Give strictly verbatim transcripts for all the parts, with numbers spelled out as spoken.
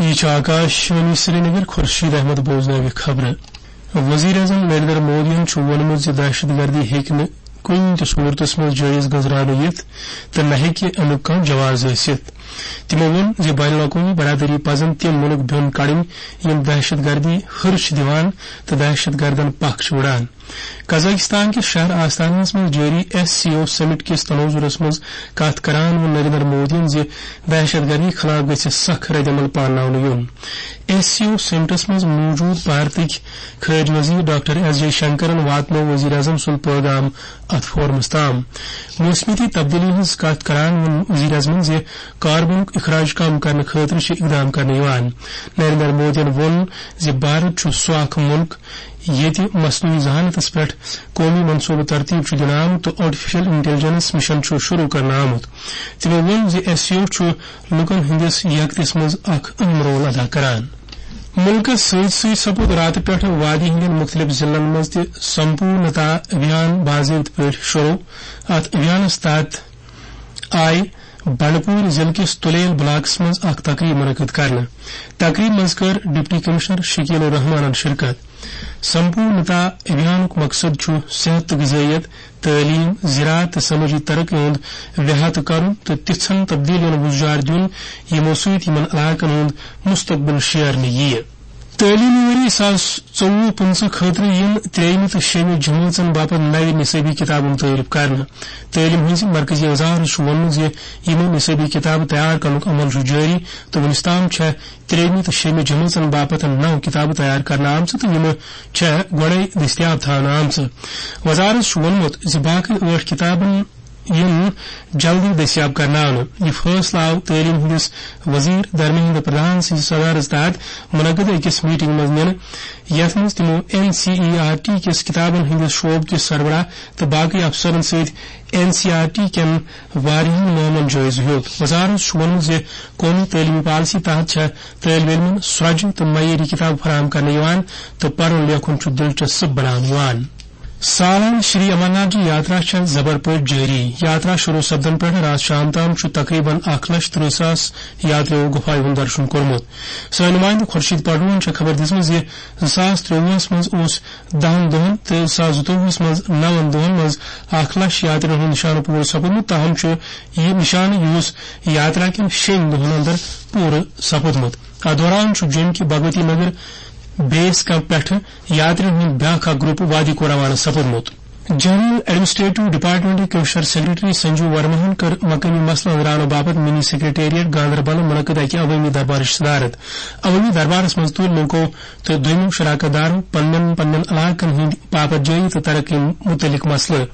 یہِ چھُ آکاش وانی سرینگر، خورشید احمد بوزناوِ خبرٕ۔ وزیر اعظم نریندر مودیَن چھُ ووٚنمُت زِ دہشت گردی ہیٚکہِ نہٕ کُنہِ تہِ صورتس منٛز جٲیز گنزراونہٕ یِتھ تہٕ نہ ہیٚکہِ امیُک کانٛہہ جواز ٲسِتھ۔ تِمو ووٚن زِ بین الاقوٲمی برادری پزن تِم مُلک بیوٚن کڑٕنۍ یِم دہشت گردی ہُرۍ چھِ دِوان تہٕ دہشت گردن پکھ چھِ وُڑان۔ قزاقستان کِس شہر آستانہس منٛز جٲری ایس سی او سمٹ کِس تناظرس منٛز کتھ کران ووٚن نریندر مودیَن زِ دہشت گردی خلاف گژھِ سخ رد عمل پانناونہٕ یُن۔ ایس سی او سمٹس منٛز موجود بھارتٕکۍ خارجہ وزیر ڈاکٹر ایس جے شنکرن واتنوو وزیر اعظم سُنٛد پیغام اتھ فورمس تام۔ موسمیٲتی تبدیلی ہٕنٛز کتھ کران ووٚن وزیر اعظمن زِ کاربنُک اخراج کم کرنہٕ خٲطرٕ چھِ اقدام کرنہٕ یِوان۔ نریندر مودیَن ووٚن زِ بھارت چھُ سُہ اکھ مُلک ییٚتہِ مصنوعی ذہانتس پٮ۪ٹھ قومی منصوبہٕ ترتیب چھُ دِنہٕ آمُت تہٕ آرٹیفیشل انٹیلیجنس مشن چھُ شروع کرنہٕ آمُت۔ تِمو ووٚن زِ ایس سی او چھُ لوٗکن ہٕنٛدِس یکتِس منٛز اکھ اہم رول ادا کران۔ مُلکس سۭتۍ سۭتۍ سپُد راتہٕ پٮ۪ٹھٕ وادی ہٕنٛدٮ۪ن مُختٔلِف ضلعن منٛز تہِ سمپورنتا ابھیان باضٲبطہٕ پٲٹھۍ شروع۔ اتھ ابھیانس تحت آیہِ بنڈپور ضلعہٕ کِس تُلیل بلاکس منٛز اکھ تقریب منعقد کرنہٕ۔ تقریب منٛز کٔر ڈپٹی کمشنر شکیل الرحمانن شرکت۔ سمپورنتا ابھیانُک مقصد چھُ صحت تہٕ غذائیت، تعلیم، زراعت تہٕ سمٲجی ترقی ہُنٛد احاطہٕ کرُن تہٕ تِژھن تبدیلیَن وُزجار دیُن، یِمو سۭتۍ یِمن علاقن ہُنٛد مستقبل شیرنہٕ یِیہِ۔ تعلیمی ؤری زٕ ساس ژوٚوُہ پٕنٛژٕہ خٲطرٕ یِن ترٛیٚیِمہِ تہٕ شیٚیِمہِ جمٲژن باپتھ نوِ نصٲبی کِتابہٕ مُتعارف کرنہٕ۔ تعلیٖم ہٕنٛزِ مرکزی وزارت چھُ ووٚنمُت زِ یِمہٕ نصٲبی کِتابہٕ تیار کرنُک عمل چھُ جٲری تہٕ وُنِس تام چھےٚ ترٛیٚیِمہِ تہٕ شیٚیِمہِ جمٲژن باپتھ نَو کِتابہٕ تیار کرنہٕ آمژٕ تہٕ یِمہٕ چھےٚ گۄڈَے دٔستیاب تھاونہٕ آمژٕ۔ وزارت چھُ ووٚنمُت زِ باقٕے ٲٹھ کِتابَن یِن جلدی دٔستیاب کرناونہٕ۔ یہِ فٲصلہٕ آو تعلیٖم ہٕنٛدِس وزیر دھرمیندر پردھان سٕنٛزِ صدارت تحت منعقد أکِس میٹنگ منٛز نِنہٕ، یَتھ منٛز تِمو N C E R T کِس کِتابَن ہٕنٛدِس شعبہٕ کِس سربراہ تہٕ باقٕے افسرَن سۭتۍ این سی آر ٹی کٮ۪ن واریاہَن معاملن جٲیزٕ ہیوٚت۔ وزارت چھُ ووٚنمُت زِ قومی تعلیمی پالیسی تحت چھےٚ طٲلبہِ علمَن سرٛۄجہِ تہٕ معیٲری کِتابہٕ فراہم کرنہٕ یِوان تہٕ پرُن لیکھُن چھُ دلچسپ بناونہٕ یِوان۔ سالانہٕ شری امرناتھ جی یاترا چھےٚ زبر پٲٹھۍ جٲری۔ یاترا شروع سپدن پٮ۪ٹھ راتھ شام تام چھُ تقریباً اکھ لچھ ترٕہ ساس یاتریو گُفایہِ ہُنٛد درشُن کوٚرمُت۔ سٲنۍ نُمٲیندٕ خورشید پٹھون چھےٚ خبر دِژمٕژ زِ زٕ ساس ترٛۆوُہس منٛز اوس دَہن دۄہن تہٕ زٕ ساس زٕتووُہس منٛز نَون دۄہن منٛز اکھ لچھ یاتریَن ہُنٛد نِشانہٕ پوٗرٕ سپُدمُت، تاہم چھُ یہِ نِشانہٕ یُس یاترا کٮ۪ن شیٚن دۄہن اندر پوٗرٕ سپُدمُت۔ اتھ دوران چھُ جوٚمہِ کہِ بھگوتی نگر بیس کیمپ پٮ۪ٹھٕ یاتریَن ہُنٛد بیٛاکھ اکھ گروپ وادی کو روانہٕ سپُدمُت۔ جنرل ایڈمنسٹریٹو ڈپارٹمنٹٕکۍ کمشنر سیکرٹری سنجیو ورماہن کٔر مقٲمی مسلہٕ أنٛزراونہٕ باپتھ منی سیکرٹریٹ گاندربلہٕ منعقد اکہِ عوٲمی دربارٕچ صدارت۔ عوٲمی دربارس منٛز تُلۍ لوٗکو تہٕ دوٚیمو شراکت دارو پننٮ۪ن پننٮ۪ن علاقن ہٕنٛدۍ باپتھ جٲیی تہٕ ترقی مُتعلق مسلہٕ۔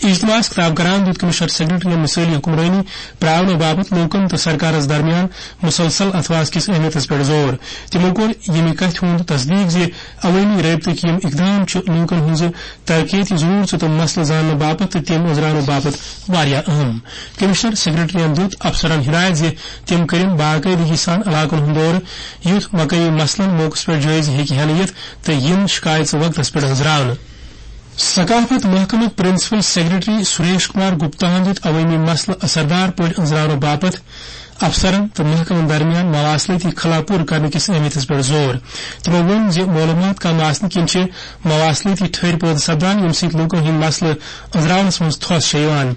اجتماعس خطاب کران دیُت کمشنر سیکرٹریَن مثٲلی حکمرٲنی پراونہٕ باپتھ لوٗکن تہٕ سرکارس درمیان مسلسل اتھواس کِس اہمیتس پٮ۪ٹھ زور۔ تِمو کوٚر ییٚمہِ کتھِ ہُنٛد تصدیق زِ عوٲمی رٲبطٕکۍ یِم اقدام چھِ لوٗکن ہٕنٛزِ ترقیتی ضروٗرژٕ تہٕ مسلہٕ زاننہٕ باپتھ تہٕ تِم أنٛزراونہٕ باپتھ واریاہ اہم۔ کمشنر سیکرٹریَن دیُت افسرن ہدایت زِ تِم کٔرِن باقٲعدگی سان علاقن ہُنٛد دورٕ، یُتھ مقٲمی مسلن موقعس پٮ۪ٹھ جٲیزٕ ہیٚکہِ ہٮ۪نہٕ یِتھ تہٕ یِن شکایژٕ وقتس پٮ۪ٹھ أنٛزراونہٕ۔ ثقافت محکمٕکۍ پرنسپل سیکرٹری سریش کمار گپتا ہن دِیُت عوٲمی مسلہٕ اثردار پٲٹھۍ أنٛزراونہٕ باپتھ افسرن تہٕ محکمن درمیان مواصلٲتی خلا پوٗرٕ کرنہٕ کِس اہمیتس پٮ۪ٹھ زور۔ تِمو ووٚن زِ معلومات کم آسنہٕ کِنۍ چھِ مواصلٲتی ٹھٔرۍ پٲدٕ سپدان، ییٚمہِ سۭتۍ لوٗکن ہٕنٛدۍ مسلہٕ أنٛزراونس منٛز تھوس چھےٚ یِوان۔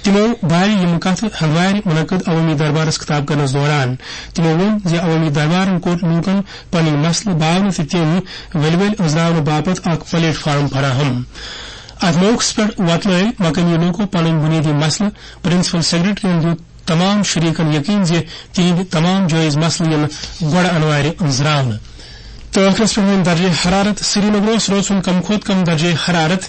تِمو بارِ یِم کتھٕ ہندوارِ منعقد عوٲمی دربارس خطاب کرنس دوران۔ تِمو ووٚن زِ عوٲمی دربارن کوٚر لوٗکن پنٕنۍ مسلہٕ باونہٕ تہٕ تِم ؤلۍ ؤلۍ أنٛزراونہٕ باپتھ اکھ پلیٹ فارم فراہم۔ اتھ موقعس پٮ۪ٹھ وۄتلٲوۍ مقٲمی لوٗکو پنٕنۍ بُنیٲدی مسلہٕ پرنسپل سیکرٹریَن دیُت تمام شریکن یقین زِ تِہنٛدۍ تمام جٲیز مسلہٕ یِن گۄڈٕ انوارِ أنٛزراونہٕ۔ تہٕ ٲخرس پٮ۪ٹھ وۄنۍ درجہ حرارت۔ سرینگرس رٲژ ہُنٛد کم کھۄتہٕ کم درجہ حرارت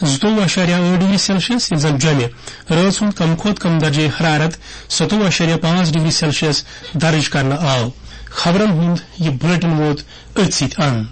زٕتووُہ اعشاریہ ٲٹھ ڈگری سیلسیس، ییٚلہِ زن جوٚمہِ رٲژ ہُنٛد کم کھۄتہٕ کم درجہ حرارت ستووُہ اعشاریہ پانٛژھ ڈگری سیلسیس درج کرنہٕ آو۔ خبرن ہُنٛد یہِ بلیٹن ووت أتھۍ سۭتۍ اند۔